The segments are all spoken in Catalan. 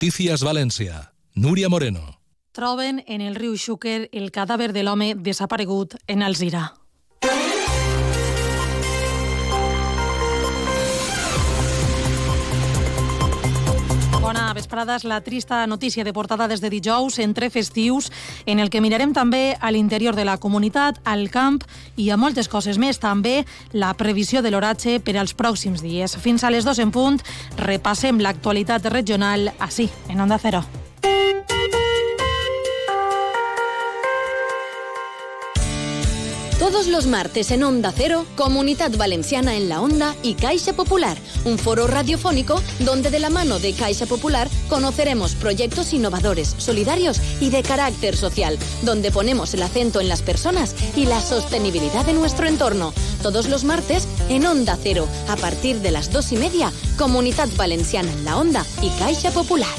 Noticias Valencia. Núria Moreno. Troben en el riu Xúquer el cadàver de l'home desaparegut en Alzira. Bona vesprada, és la trista notícia de portada des de dijous entre festius, en el que mirarem també a l'interior de la comunitat, al camp i a moltes coses més. També la previsió de l'oratge per als pròxims dies. Fins a les 2 en punt, repassem l'actualitat regional ací, en Onda Cero. Todos los martes en Onda Cero, Comunidad Valenciana en la Onda y Caixa Popular, un foro radiofónico donde de la mano de Caixa Popular conoceremos proyectos innovadores, solidarios y de carácter social, donde ponemos el acento en las personas y la sostenibilidad de nuestro entorno. Todos los martes en Onda Cero, a partir de las 2:30, Comunidad Valenciana en la Onda y Caixa Popular.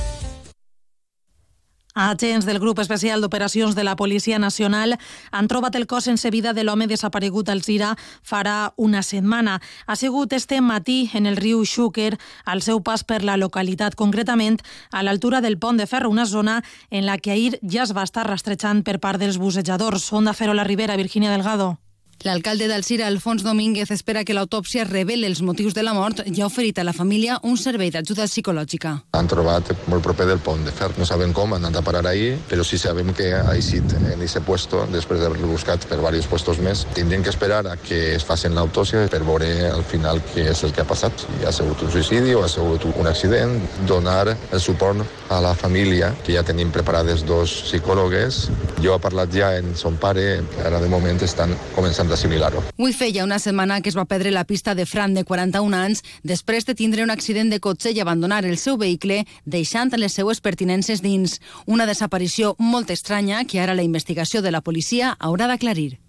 Agents del Grup Especial d'Operacions de la Policia Nacional han trobat el cos sense vida de l'home desaparegut a Alzira farà una setmana. Ha sigut este matí en el riu Xúquer al seu pas per la localitat, concretament a l'altura del pont de ferro, una zona en la que ahir ja es va estar rastrejant per part dels bussejadors. Onda Cero la Ribera, Virginia Delgado. L'alcalde d'Alzira, Alfons Domínguez, espera que l'autòpsia reveli els motius de la mort i ha oferit a la família un servei d'ajuda psicològica. Han trobat molt proper del pont de ferro. No sabem com han anat a parar ahir, però sí sabem que ha eixit en aquest puesto, després d'haver-lo buscat per diversos puestos més. Tindrien que esperar a que es facin l'autòpsia per veure al final què és el que ha passat. Si ha sigut un suïcidi o ha sigut un accident. Donar el suport a la família, que ja tenim preparades 2 psicòlogues. Jo he parlat ja amb son pare, ara de moment estan començant d'assimilar-ho. Avui feia una setmana que es va perdre la pista de Fran, de 41 anys, després de tindre un accident de cotxe i abandonar el seu vehicle, deixant les seues pertinences dins. Una desaparició molt estranya que ara la investigació de la policia haurà d'aclarir.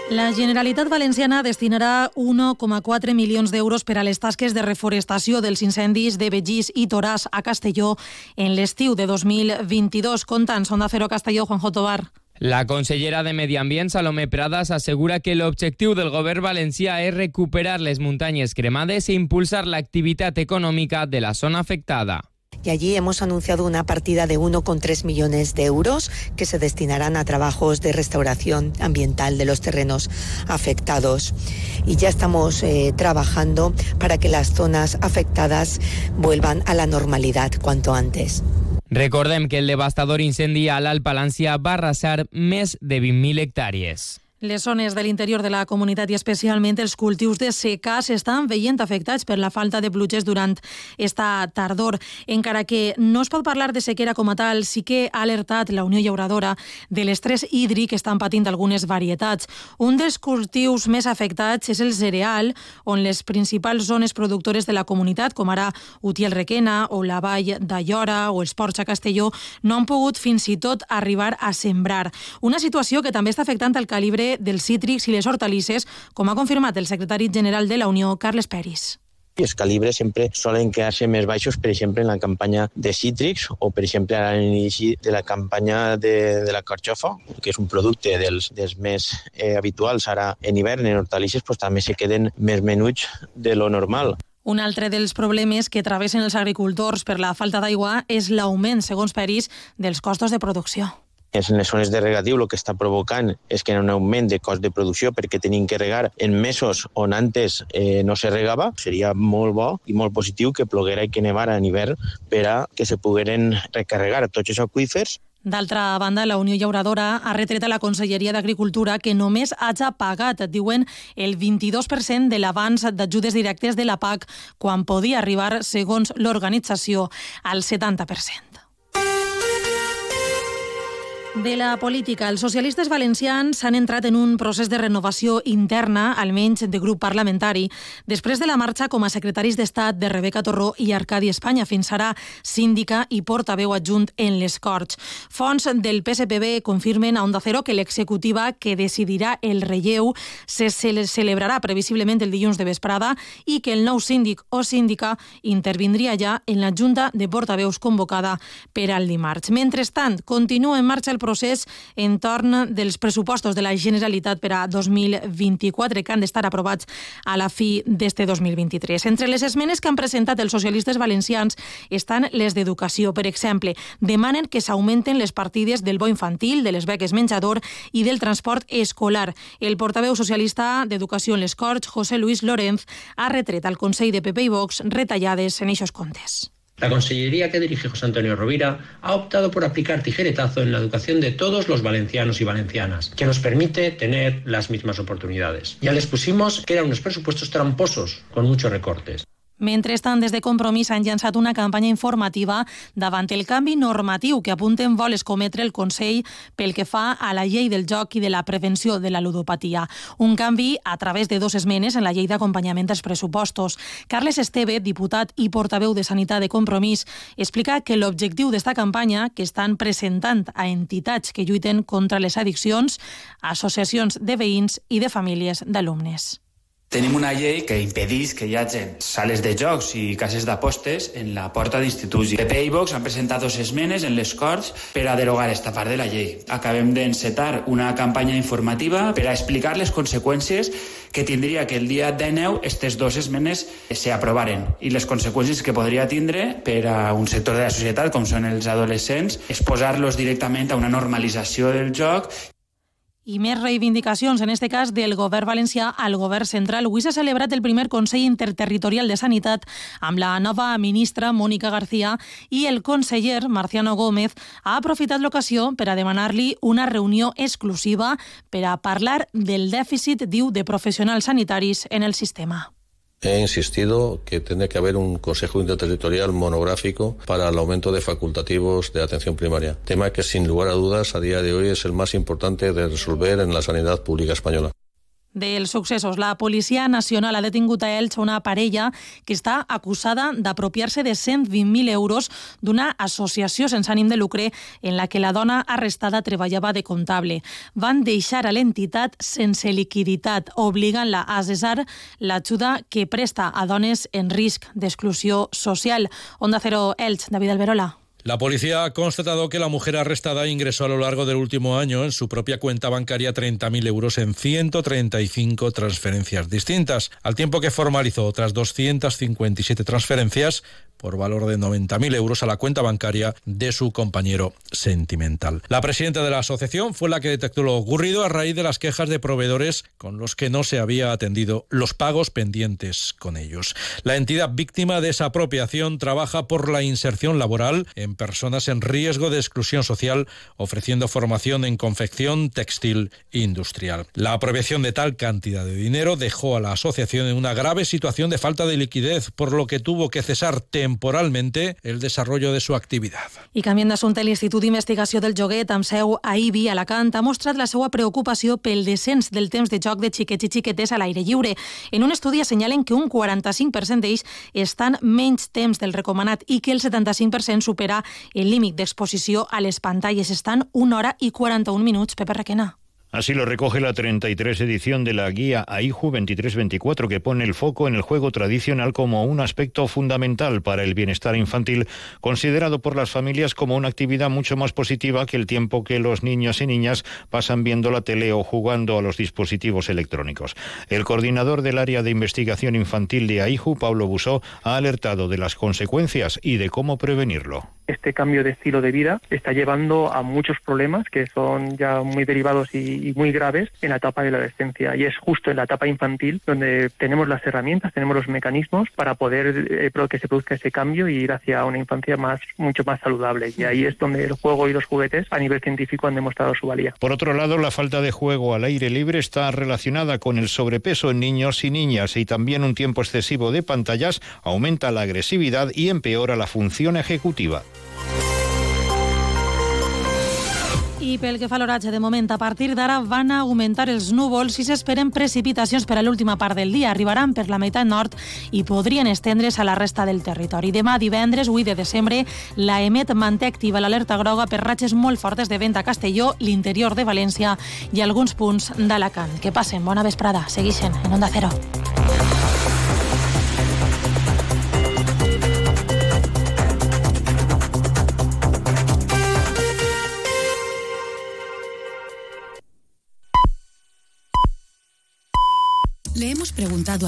La Generalitat Valenciana destinarà 1,4 milions d'euros per a les tasques de reforestació dels incendis de Begís i Toràs a Castelló en l'estiu de 2022. Contant, Onda Cero Castelló, Juanjo Tobar. La consellera de Medi Ambient, Salomé Pradas, assegura que l'objectiu del govern valencià és recuperar les muntanyes cremades e impulsar l'activitat econòmica de la zona afectada. Y allí hemos anunciado una partida de 1,3 millones de euros que se destinarán a trabajos de restauración ambiental de los terrenos afectados. Y ya estamos trabajando para que las zonas afectadas vuelvan a la normalidad cuanto antes. Recordem que el devastador incendi a l'Alt Palància va arrasar més de 20.000 hectàrees. Les zones de l'interior de la comunitat i especialment els cultius de secà s'estan veient afectats per la falta de pluges durant esta tardor. Encara que no es pot parlar de sequera com a tal, sí que ha alertat la Unió Llauradora de l'estrès hídric que estan patint algunes varietats. Un dels cultius més afectats és el cereal, on les principals zones productores de la comunitat, com ara Utiel-Requena o la Vall d'Aiora o els Ports a Castelló, no han pogut fins i tot arribar a sembrar. Una situació que també està afectant el calibre dels cítrics i les hortalisses, com ha confirmat el secretari general de la Unió, Carles Peris. Els calibres sempre solen quedar-se més baixos, per exemple, en la campanya de cítrics o, per exemple, a l'inici de la campanya de la carxofa, que és un producte dels més habituals ara en hivern, en hortalisses, doncs, també se queden més menuts de lo normal. Un altre dels problemes que travessen els agricultors per la falta d'aigua és l'augment, segons Peris, dels costos de producció. En les zones de regatiu el que està provocant és que hi ha un augment de cost de producció perquè tenim que regar en mesos on antes no se regava. Seria molt bo i molt positiu que ploguera i que nevara en hivern per a que se pogueren recarregar tots els aqüífers. D'altra banda, la Unió Llauradora ha retret a la Conselleria d'Agricultura que només hagi pagat, diuen, el 22% de l'avanç d'ajudes directes de la PAC, quan podia arribar, segons l'organització, al 70%. De la política, els socialistes valencians han entrat en un procés de renovació interna, almenys de grup parlamentari, després de la marxa com a secretaris d'Estat de Rebeca Torró i Arcadi Espanya, fins ara síndica i portaveu adjunt en les Corts. Fonts del PSPB confirmen a Onda Cero que l'executiva que decidirà el relleu se celebrarà previsiblement el dilluns de vesprada i que el nou síndic o síndica intervindria ja en la Junta de Portaveus convocada per al dimarts. Mentrestant, continua en marxa el procés entorn dels pressupostos de la Generalitat per a 2024, que han d'estar aprovats a la fi d'este 2023. Entre les esmenes que han presentat els socialistes valencians estan les d'educació. Per exemple, demanen que s'augmenten les partides del bo infantil, de les beques menjador i del transport escolar. El portaveu socialista d'Educació en les Corts, José Luis Lorenz, ha retret al Consell de PP i Vox retallades en eixos comptes. La consellería que dirige José Antonio Rovira ha optado por aplicar tijeretazo en la educación de todos los valencianos y valencianas, que nos permite tener las mismas oportunidades. Ya les pusimos que eran unos presupuestos tramposos, con muchos recortes. Mentrestant, des de Compromís han llançat una campanya informativa davant el canvi normatiu que apunten vol escometre el Consell pel que fa a la llei del joc i de la prevenció de la ludopatia. Un canvi a través de 2 esmenes en la llei d'acompanyament dels pressupostos. Carles Esteve, diputat i portaveu de Sanitat de Compromís, explica que l'objectiu d'esta campanya, que estan presentant a entitats que lluiten contra les addiccions, associacions de veïns i de famílies d'alumnes. Tenim una llei que impedeix que hi hagi sales de jocs i cases d'apostes en la porta d'instituts. PP i Vox han presentat 2 esmenes en les Corts per a derogar esta part de la llei. Acabem d'encetar una campanya informativa per a explicar les conseqüències que tindria que el dia 19 aquestes 2 esmenes s'aprovaren i les conseqüències que podria tindre per a un sector de la societat, com són els adolescents, exposar-los directament a una normalització del joc. I més reivindicacions, en este cas del govern valencià al govern central. Avui s'ha celebrat el primer Consell Interterritorial de Sanitat amb la nova ministra Mónica García i el conseller Marciano Gómez ha aprofitat l'ocasió per a demanar-li una reunió exclusiva per a parlar del dèficit, diu, de professionals sanitaris en el sistema. He insistido que tiene que haber un Consejo Interterritorial monográfico para el aumento de facultativos de atención primaria, tema que sin lugar a dudas a día de hoy es el más importante de resolver en la sanidad pública española. Dels successos, la Policia Nacional ha detingut a Elx una parella que està acusada d'apropiar-se de 120.000 euros d'una associació sense ànim de lucre en la que la dona arrestada treballava de comptable. Van deixar a l'entitat sense liquiditat, obligant-la a cessar l'ajuda que presta a dones en risc d'exclusió social. Onda Cero Elx, David Alberola. La policía ha constatado que la mujer arrestada ingresó a lo largo del último año en su propia cuenta bancaria 30.000 euros en 135 transferencias distintas, al tiempo que formalizó otras 257 transferencias por valor de 90.000 euros a la cuenta bancaria de su compañero sentimental. La presidenta de la asociación fue la que detectó lo ocurrido a raíz de las quejas de proveedores con los que no se había atendido los pagos pendientes con ellos. La entidad víctima de esa apropiación trabaja por la inserción laboral en personas en riesgo de exclusión social, ofreciendo formación en confección textil e industrial. La apropiación de tal cantidad de dinero dejó a la asociación en una grave situación de falta de liquidez, por lo que tuvo que cesar temporalmente el desarrollo de su actividad. I canviant d'assumpte, l'Institut d'Investigació del Joguet, amb seu a Ibi, a Alacant, ha mostrat la seva preocupació pel descens del temps de joc de xiquets i xiquetes a l'aire lliure. En un estudi assenyalen que un 45% d'ells estan menys temps del recomanat i que el 75% supera el límit d'exposició a les pantalles. Estan 1 hora i 41 minuts. Pepe Requena. Así lo recoge la 33 edición de la guía AIJU 23-24, que pone el foco en el juego tradicional como un aspecto fundamental para el bienestar infantil, considerado por las familias como una actividad mucho más positiva que el tiempo que los niños y niñas pasan viendo la tele o jugando a los dispositivos electrónicos. El coordinador del área de investigación infantil de AIJU, Pablo Busó, ha alertado de las consecuencias y de cómo prevenirlo. Este cambio de estilo de vida está llevando a muchos problemas que son ya muy derivados y muy graves en la etapa de la adolescencia, y es justo en la etapa infantil donde tenemos las herramientas, tenemos los mecanismos para poder que se produzca ese cambio y ir hacia una infancia mucho más saludable, y ahí es donde el juego y los juguetes a nivel científico han demostrado su valía. Por otro lado, la falta de juego al aire libre está relacionada con el sobrepeso en niños y niñas, y también un tiempo excesivo de pantallas aumenta la agresividad y empeora la función ejecutiva. I pel que fa a l'oratge, de moment, a partir d'ara van augmentar els núvols i s'esperen precipitacions per a l'última part del dia. Arribaran per la meitat nord i podrien estendre's a la resta del territori. Demà, divendres, 8 de desembre, la EMET manté activa l'alerta groga per ratxes molt fortes de vent a Castelló, l'interior de València i alguns punts d'Alacant. Que passen bona vesprada. Seguixen en Onda Cero. preguntado